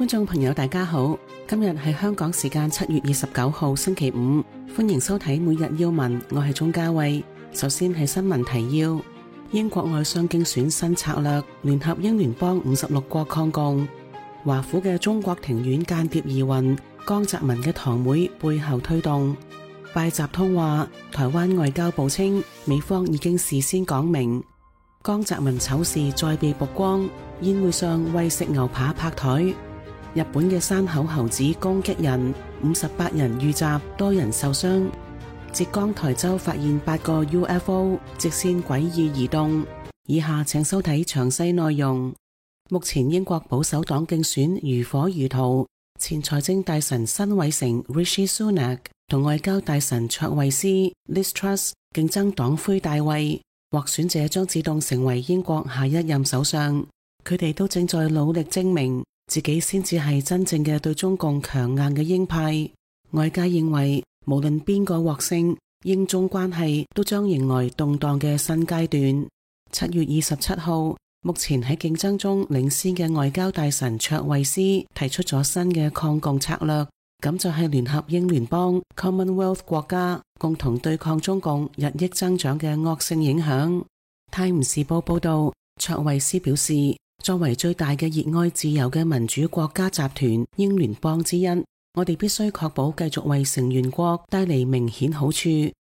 觀眾朋友大家好，今日係香港時間7月29號星期五，歡迎收睇每日要聞，我係鍾嘉慧。首先係新聞提要：英國外相競選新策略，聯合英聯邦56國抗共；華府嘅中國庭院間諜疑雲，江澤民嘅堂妹背後推動。拜習通話，台灣外交部稱美方已經事先講明。江澤民醜事再被曝光，宴會上為食牛扒拍台。日本嘅山口猴子攻擊人，58人遇襲，多人受傷。浙江台州發現8個 UFO， 直線詭異移動。以下請收睇詳細內容。目前英國保守黨競選如火如荼，前財政大臣辛偉誠 Rishi Sunak 同外交大臣卓慧思 Liz Truss 競爭黨魁大位，獲選者將自動成為英國下一任首相。佢哋都正在努力證明自己先至係真正嘅對中共強硬嘅鷹派。外界認為，無論邊個獲勝，英中關係都將迎來動盪嘅新階段。7月27號，目前喺競爭中領先嘅外交大臣卓慧思提出咗新嘅抗共策略，咁就係聯合英聯邦 Commonwealth 國家，共同對抗中共日益增長嘅惡性影響。泰晤士報報道，卓慧思表示，作為最大嘅熱愛自由嘅民主國家集團英聯邦之一，我哋必須確保繼續為成員國帶嚟明顯好處，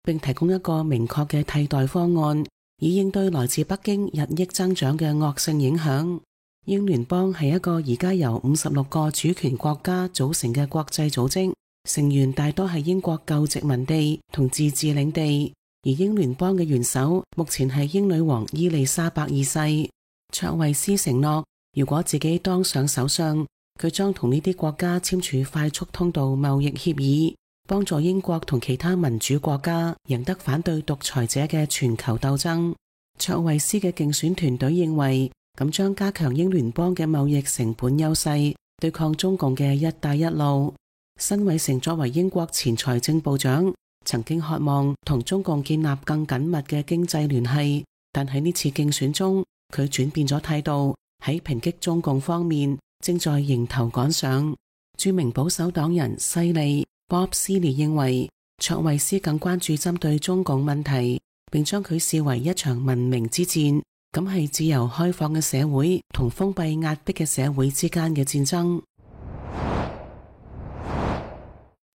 並提供一個明確嘅替代方案，以應對來自北京日益增長嘅惡性影響。英聯邦係一個而家由56個主權國家組成嘅國際組織，成員大多係英國舊殖民地同自治領地，而英聯邦嘅元首目前係英女王伊麗莎白二世。卓慧思承諾，如果自己當上首相，佢將同呢啲國家簽署快速通道貿易協議，幫助英國同其他民主國家贏得反對獨裁者嘅全球鬥爭。卓慧思嘅競選團隊認為，咁將加強英聯邦嘅貿易成本優勢，對抗中共嘅一帶一路。辛偉誠作為英國前財政部長，曾經渴望同中共建立更緊密嘅經濟聯繫，但喺呢次競選中，佢轉變咗態度，喺抨擊中共方面正在迎頭趕上。著名保守黨人西利 Bob Seeley 認為，卓慧思更關注針對中共問題，並將佢視為一場文明之戰，咁係自由開放嘅社會同封閉壓迫嘅社會之間嘅戰爭。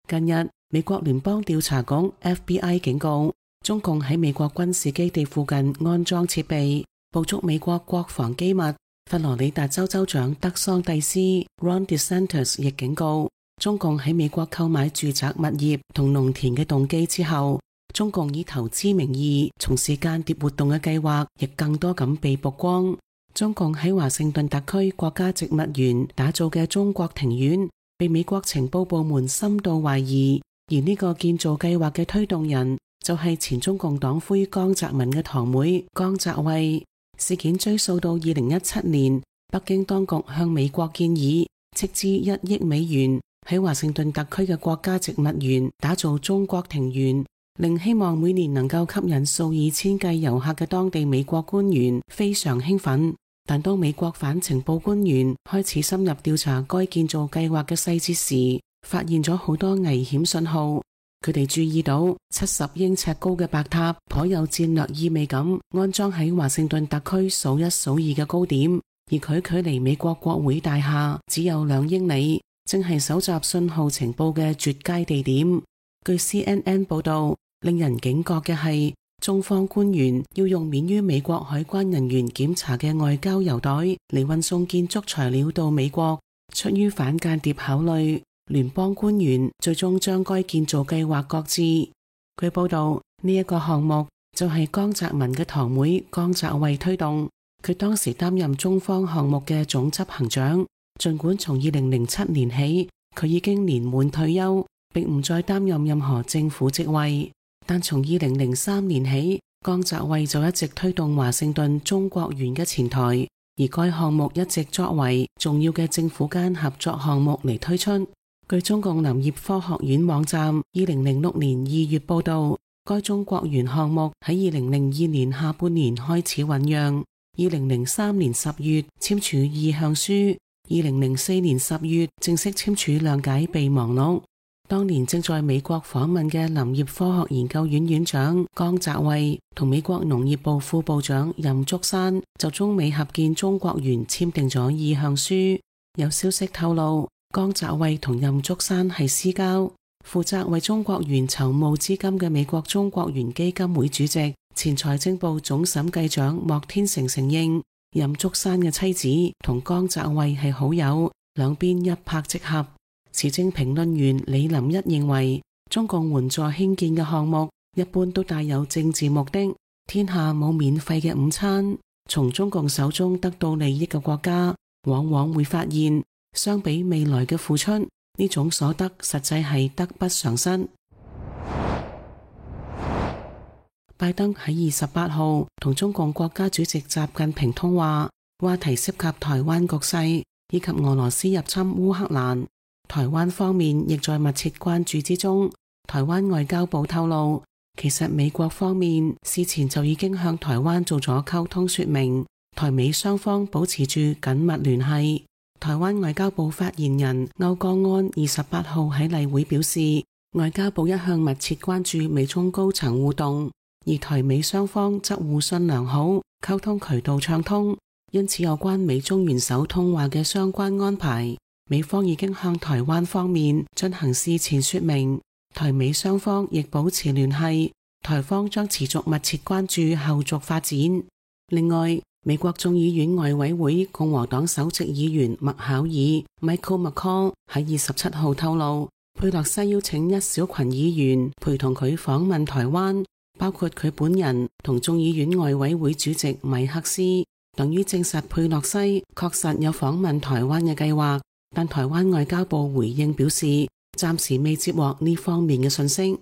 近日，美國聯邦調查局 FBI 警告，中共喺美國軍事基地附近安裝設備，捕捉美國國防機密。佛羅里達州州長德桑蒂斯 Ron DeSantis 亦警告，中共喺美國購買住宅物業同農田嘅動機之後，中共以投資名義從事間諜活動嘅計劃亦更多咁被曝光。中共喺華盛頓特區國家植物園打造嘅中國庭院被美國情報部門深度懷疑，而呢個建造計劃嘅推動人就係前中共黨魁江澤民嘅堂妹江澤慧。事件追溯到2017年，北京當局向美國建議斥資1億美元喺華盛頓特區嘅國家植物園打造中國庭園，令希望每年能夠吸引數以千計遊客嘅當地美國官員非常興奮。但當美國反情報官員開始深入調查該建造計劃嘅細節時，發現咗好多危險信號。佢哋注意到70英尺高嘅白塔頗有戰略意味咁安裝喺華盛頓特區數一數二嘅高點，而佢距離美國國會大廈只有2英里，正係搜集信號情報嘅絕佳地點。據 CNN 報道，令人警覺嘅係，中方官員要用免於美國海關人員檢查嘅外交郵袋嚟運送建築材料到美國，出於反間諜考慮，聯邦官員最終將該建造計劃擱置。據報道，呢一個項目就係江澤民嘅堂妹江澤慧推動，佢當時擔任中方項目嘅總執行長。儘管從2007年起，佢已經年滿退休，並唔再擔任任何政府職位，但從2003年起，江澤慧就一直推動華盛頓中國園嘅前台，而該項目一直作為重要嘅政府間合作項目嚟推出。據中共林業科學院網站2006年2月報道，該中國園項目喺2002年下半年開始醞釀，2003年10月簽署意向書， 2004年10月正式簽署諒解備忘錄。當年正在美國訪問嘅林業科學研究院院長江澤衛同美國農業部副部長任竹山就中美合建中國園簽訂咗意向書。有消息透露，江澤衛同任竹山係私交。負責為中國園籌募資金嘅美國中國園基金會主席、前財政部總審計長莫天成承認，任竹山嘅妻子同江澤衛係好友，兩邊一拍即合。時政評論員李林一認為，中共援助興建嘅項目一般都帶有政治目的，天下冇免費嘅午餐。從中共手中得到利益嘅國家，往往會發現，相比未來嘅付出，呢種所得實際係得不償失。拜登喺28號同中共國家主席習近平通話，話題涉及台灣局勢以及俄羅斯入侵烏克蘭。台灣方面亦在密切關注之中。台灣外交部透露，其實美國方面事前就已經向台灣做咗溝通說明，台美雙方保持住緊密聯繫。台灣外交部發言人歐江安28號喺例會表示，外交部一向密切關注美中高層互動，而台美雙方則互信良好，溝通渠道暢通，因此有關美中元首通話嘅相關安排，美方已經向台灣方面進行事前說明，台美雙方亦保持聯繫，台方將持續密切關注後續發展。另外，美國眾議院外委會共和黨首席議員麥考爾 Michael McCaul 喺27號透露，佩洛西邀請一小群議員陪同佢訪問台灣，包括佢本人同眾議院外委會主席米克斯，等於證實佩洛西確實有訪問台灣嘅計劃。但台灣外交部回應表示，暫時未接獲呢方面嘅信息。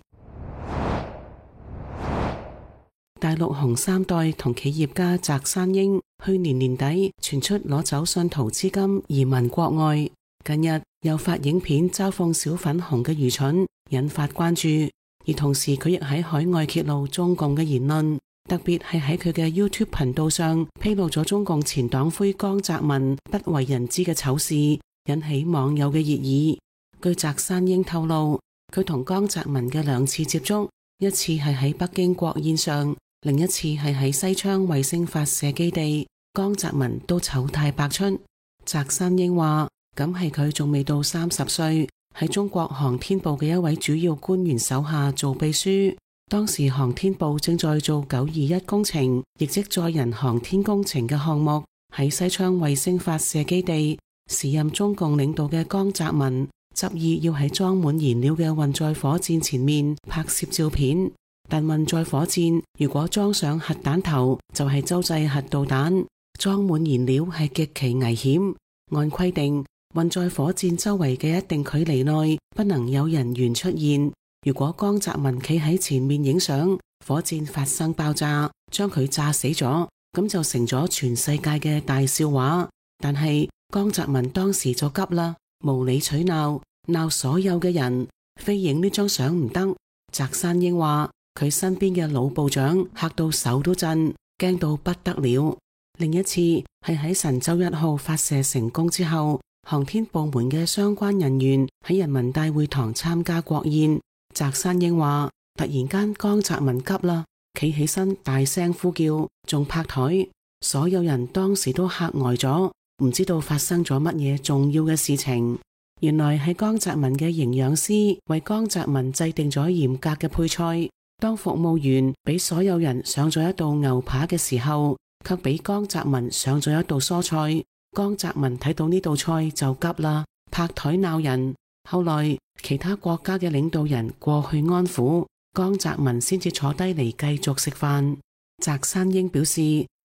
大陸紅三代同企業家翟山英去年年底傳出攞走信徒資金移民國外，近日又發影片嘲諷小粉紅嘅愚蠢，引發關注。而同時佢亦喺海外揭露中共嘅言論，特別係喺佢嘅 YouTube 頻道上披露咗中共前黨魁江澤民不為人知嘅醜事，引起網友嘅熱議。據翟山英透露，佢同江澤民嘅2次接觸，一次係喺北京國宴上，另一次係喺西昌衛星發射基地，江澤民都醜態百出。翟山英話，咁係佢仲未到30歲，喺中國航天部嘅一位主要官員手下做秘書。當時航天部正在做921工程，亦即載人航天工程嘅項目，喺西昌衛星發射基地。時任中共領導嘅江澤民執意要喺裝滿燃料嘅運載火箭前面拍攝照片，但運載火箭如果裝上核彈頭，就係洲際核導彈，裝滿燃料係極其危險。按規定，運載火箭周圍嘅一定距離內不能有人員出現。如果江澤民企喺前面影相，火箭發生爆炸，將佢炸死咗，咁就成咗全世界嘅大笑話。但係江澤民當時就急啦，無理取鬧，鬧所有嘅人，非影呢張相唔得。翟山英話，佢身邊嘅老部長嚇到手都震，驚到不得了。另一次係喺神舟1號發射成功之後，航天部門嘅相關人員喺人民大會堂參加國宴。翟山英話，突然間江澤民急啦，企起身大聲呼叫，仲拍台，所有人當時都嚇呆咗，唔知道發生咗乜嘢重要嘅事情。原來係江澤民嘅營養師為江澤民制定咗嚴格嘅配菜，當服務員俾所有人上咗一道牛扒嘅時候，卻俾江澤民上咗一道蔬菜。江澤民睇到呢道菜就急啦，拍台鬧人。後來其他國家嘅領導人過去安撫，江澤民先至坐低嚟繼續食飯。翟山英表示，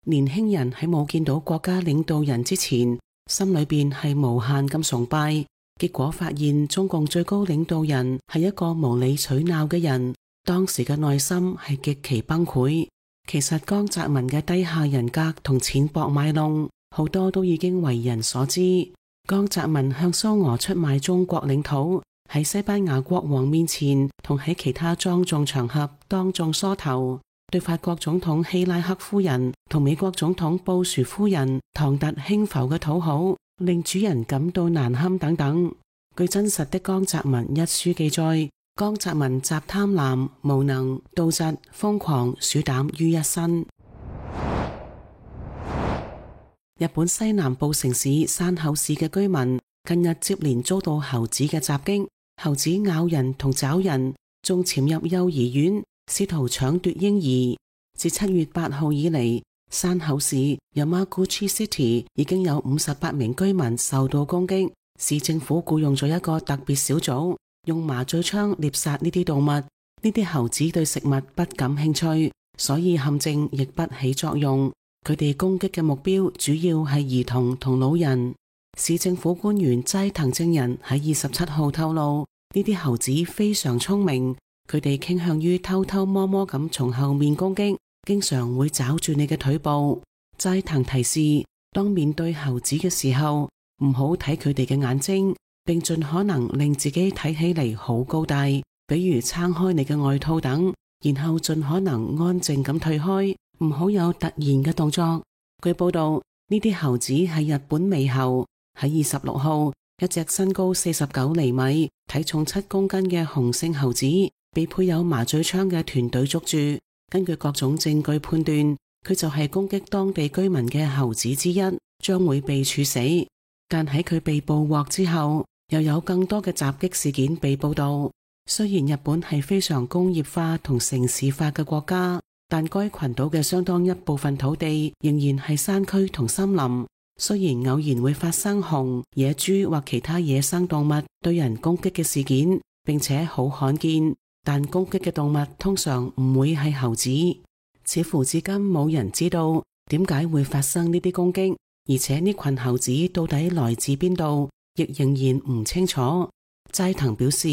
年輕人喺冇見到國家領導人之前，心裏邊係無限咁崇拜，結果發現中共最高領導人係一個無理取鬧嘅人，當時嘅內心係極其崩潰。其實江澤民嘅低下人格同淺薄賣弄，好多都已經為人所知。江澤民向蘇俄出賣中國領土，喺西班牙國王面前同喺其他莊重場合當眾梳頭，對法國總統希拉克夫人同美國總統布殊夫人唐突輕浮嘅討好，令主人感到難堪等等。據真實的江澤民一書記載，江澤民集貪婪、無能、妒嫉、瘋狂、鼠膽於一身。日本西南部城市山口市嘅居民近日接連遭到猴子嘅襲擊，猴子咬人同抓人，仲潛入幼兒園，試圖搶奪嬰兒。自7月8號以嚟，山口市 Yamaguchi City 已經有58名居民受到攻擊。市政府僱用咗一個特別小組，用麻醉槍獵殺呢啲動物。呢啲猴子對食物不感興趣，所以陷阱亦不起作用。佢哋攻擊嘅目標主要係兒童同老人。市政府官員齋藤正人喺27號透露，呢啲猴子非常聰明，佢哋傾向於偷偷摸摸咁從後面攻擊，經常會抓住你嘅腿部。齋藤提示，當面對猴子嘅時候，唔好睇佢哋嘅眼睛，並盡可能令自己睇起嚟好高大，比如撐開你嘅外套等，然後盡可能安靜咁退開，唔好有突然嘅動作。據報道，呢啲猴子係日本獼猴。喺26號，一隻身高49厘米、體重7公斤嘅雄性猴子被配有麻醉槍嘅團隊捉住。根據各種證據判斷，佢就係攻擊當地居民嘅猴子之一，將會被處死。但喺佢被捕獲之後，又有更多嘅襲擊事件被報道。雖然日本係非常工業化同城市化嘅國家，但該群島嘅相當一部分土地仍然係山區同森林。雖然偶然會發生熊、野豬或其他野生動物對人攻擊嘅事件，並且好罕見，但攻擊嘅動物通常唔會係猴子。似乎至今冇人知道點解會發生呢啲攻擊，而且呢群猴子到底來自邊度，亦仍然唔清楚。齋藤表示，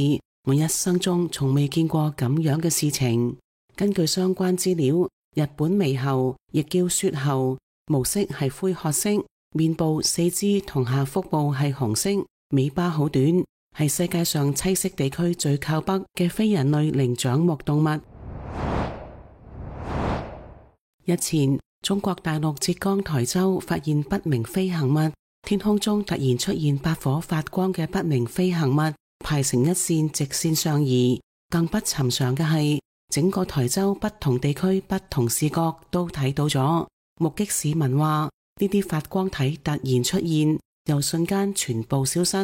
我一生中從未見過咁樣嘅事情。根據相關資料，日本獼猴亦叫雪猴，毛色係灰褐色，面部、四肢同下腹部係紅色，尾巴好短，係世界上棲息地區最靠北嘅非人類靈長目動物。日前，中國大陸浙江台州發現不明飛行物，天空中突然出現8顆發光嘅不明飛行物，排成一線直線上移。更不尋常嘅係，整個台州不同地區不同視角都睇到咗。目擊市民話，呢啲發光體突然出現，又瞬間全部消失。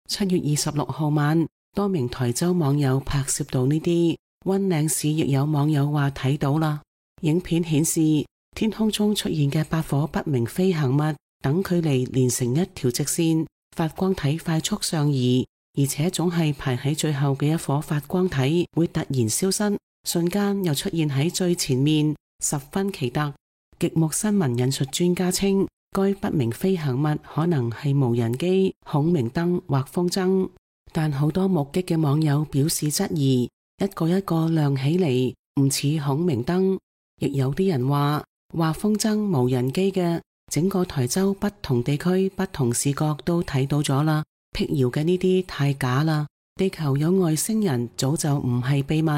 7月26號晚，多名台州網友拍攝到呢啲，溫嶺市亦有網友話睇到啦。影片顯示，天空中出現嘅8顆不明飛行物，等距離連成一條直線，發光體快速上移，而且總係排喺最後嘅一顆發光體會突然消失，瞬間又出現喺最前面，十分奇特。極目新聞引述專家稱，該不明飛行物可能係無人機、孔明燈或風箏，但好多目擊嘅網友表示質疑，一個一個亮起嚟，唔似孔明燈。亦有啲人話風箏、無人機嘅，整個台州不同地區不同視角都睇到咗啦，闢謠嘅呢啲太假啦，地球有外星人早就唔係秘密。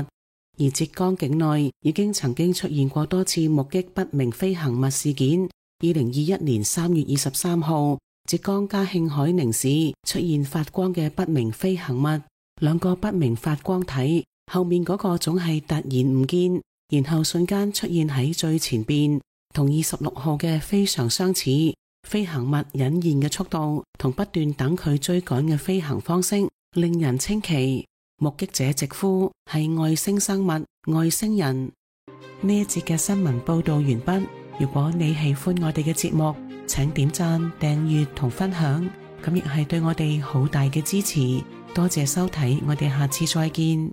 而浙江境內已經曾經出現過多次目擊不明飛行物事件。2021年3月23號，浙江嘉興海寧市出現發光嘅不明飛行物，2個不明發光體，後面嗰個總係突然唔見，然後瞬間出現喺最前邊，同26號嘅非常相似。飛行物隱現嘅速度同不斷等佢追趕嘅飛行方式，令人稱奇。目擊者直呼係外星生物、外星人。呢一節嘅新聞報道完畢。如果你喜歡我哋嘅節目，請點讚、訂閱同分享，咁亦係對我哋好大嘅支持。多謝收睇，我哋下次再見。